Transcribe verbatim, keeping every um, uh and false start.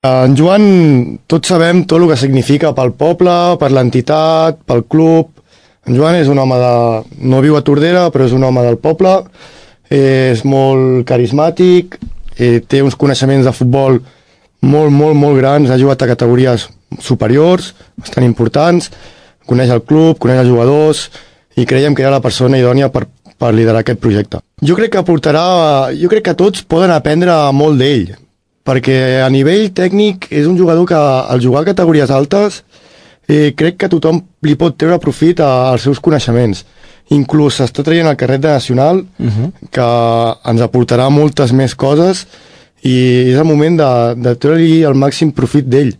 En Joan, tots sabem tot el que significa pel poble, per l'entitat, pel club. En Joan és un home de... no viu a Tordera, però és un home del poble, és molt carismàtic, té uns coneixements de futbol molt, molt, molt grans, ha jugat a categories superiors, bastant importants, coneix el club, coneix els jugadors, i creiem que era la persona idònia per, per liderar aquest projecte. Jo crec que aportarà... jo crec que tots poden aprendre molt d'ell, perquè a nivell tècnic és un jugador que al jugar a categories altes eh, crec que tothom li pot treure profit als seus coneixements. Inclús s'està traient el carret de nacional, uh-huh. que ens aportarà moltes més coses i és el moment de, de treure-li el màxim profit d'ell.